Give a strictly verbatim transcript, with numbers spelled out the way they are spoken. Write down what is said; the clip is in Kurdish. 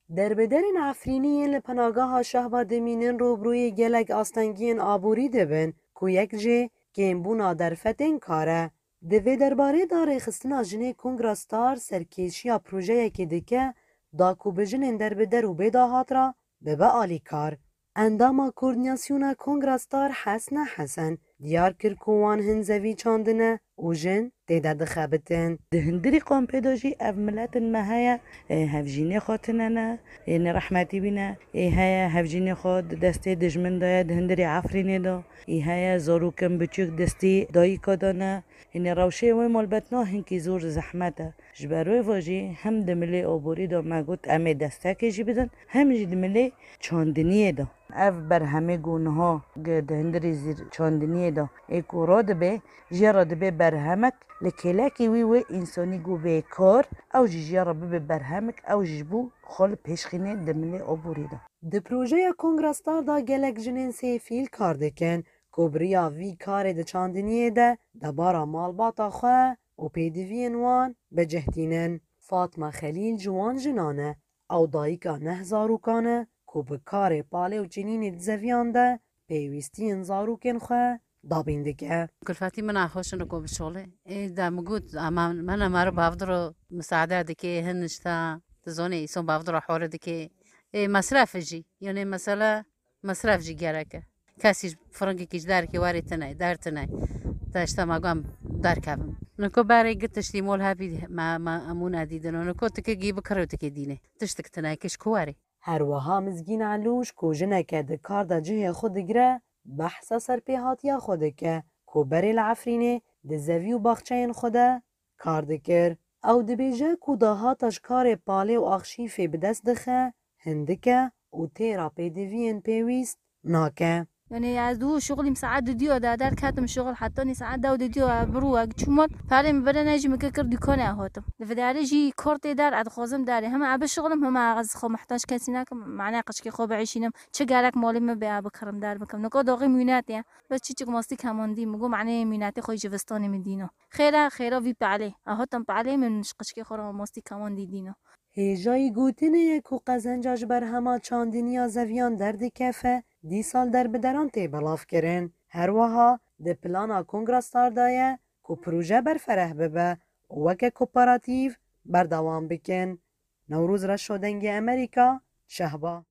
Derbederên Efrînî yên li penageha Şehba dimînin rûbirûyê gelek astengiyên aborî dibin ku yek jê kêmbûna derfetên kar e. Di vê derbarê de rêxistina jinê Kongra Star serkêşiya projeyekê dike da ku bi jinên derbeder û bêdahat re bibe alîkar. Endama Koordînasyona Kongra Star Hesna Hesen diyar kir ku wan hin zevî çandine û jin tê de dixebitin. Di hundirî kampê de jî ev miletin me heye, e, hevjînê xwe tine ne, ê nêrehmetî bîne, ê heye hevjînê xwe di destê dijmin de ye, di hundirê Efrînê de, ê heye zarokên biçûk destê dayika de ne. Hînê rewşê wê malbetna hinkî zor zehmet e. Ji ber wê ve jî hem di milê oborî de me got em ê destekê jî bidin, hem jî di milê çandiniyê de. Ev berhemê ku niha di hundirê zîr çandiniyê de ê ku radibe, jê re dibe berhemek li kêlekê wî wê însanî ku bê kar, ew jî jê re bibe berhemek, ew jî ji bo xwe li pêş xînê di milê oborî de. Di projeya Kongra Star de gelek jinên sêfîl kar dikin ku bi riya vî karê di çandiniyê de debara malbata xwe û pêdiviyên wan bi cih tînin. Fatma Xelîl ji wan jinan e. Ew dayika neh zarokan e ku bi karê palê û çinînê di zeviyan de pêwîstiyên zarokên xwe dabîn dike. Kulfetî min a xweş in ku bişolê. Ê de min got, ama min a mero bavdiro misaade dike, hin nişta, tu zonê îson bavdiro hore dike. Ê mesref jî, yani mesela mesref jî gerek e. Kesî ji firingekî ji derkê werê tine, der tine. Te işte me got em derkevin. Niko berê gi tiştî mol hebî me, me emûne dîdin. Niko tike gî bikirê û tike dînê. Tiştik tine, kiş ku werê. Her wiha Mizgîn Elûş ku jineke di kar de cihê xwe digire, behsa serpêhatiya xwe dike ku berê li Efrînê di zevî û baxçeyên xwe de kar dikir. Ew dibêje ku dahata ji karê palê û axşîfê bi dest dixe, hindik e û têra pêdiviyên pêwîst nake. Yani ez du şuxulîm saet dudiyo de derketim şuxul heta nî saet dew dudiyo birû ek çûmot. Palê min bire ne jî min kir dükane hatim. Li vidarê jî kortê der ez dixwazim derê. Hema ez bişuxulim, hema ez xwe muhtac kesî nakim. Mane qişkê xwe biişînim. Çi gerek malê min bê ez bikirim der bikim. Nika doxî mînetê ye. Bes çiçik mastî kemandî. Min got mane mînetê xwe ji vistanê min dîno. Xêra, xêra vî palê. Ez hatim palê min ji qişkê xwe re mastî kemandî dîno. Hêjayî gotinê ye ku qezenca ji berhema çandiniya zeviyan derdikefe, dîsa li derbideran tê belavkirin. Her wiha di plana Kongra Star de ye ku proje berfereh bibe û weke kooperatif berdewam bikin. Newroz Reşo, Dengê Amerîka, Şehba.